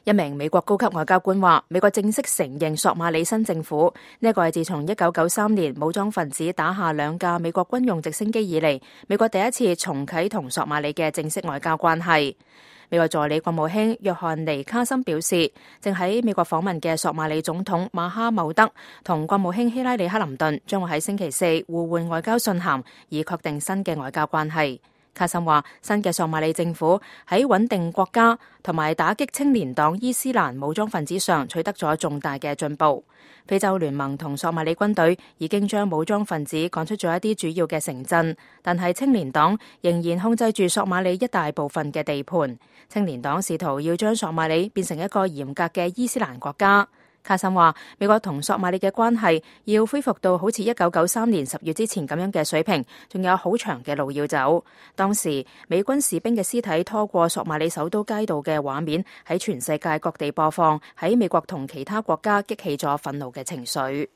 一名美國高級外交官話，美國正式承認索馬里新政府，呢個係自從1993年武裝分子打下2架美國軍用直升機以嚟，美國第一次重啟同索馬里嘅正式外交關係。美國助理國務卿約翰尼卡森表示，正喺美國訪問嘅索馬里總統馬哈茂德同國務卿希拉里克林頓將會喺星期4互換外交信函，以確定新嘅外交關係。卡森話，新嘅索馬里政府喺穩定國家同埋打擊青年黨伊斯蘭武裝分子上取得咗重大嘅進步。非洲聯盟同索馬里軍隊已經將武裝分子趕出咗一啲主要嘅城鎮，但係青年黨仍然控制住索馬里一大部分嘅地盤。青年黨試圖要將索馬里變成一個嚴格嘅伊斯蘭國家。卡森話，美國同索馬里嘅關係要恢復到好似1993年10月之前咁樣嘅水平，仲有好長嘅路要走。當時美軍士兵嘅屍體拖過索馬里首都街道嘅畫面喺全世界各地播放，喺美國同其他國家激起咗憤怒嘅情緒。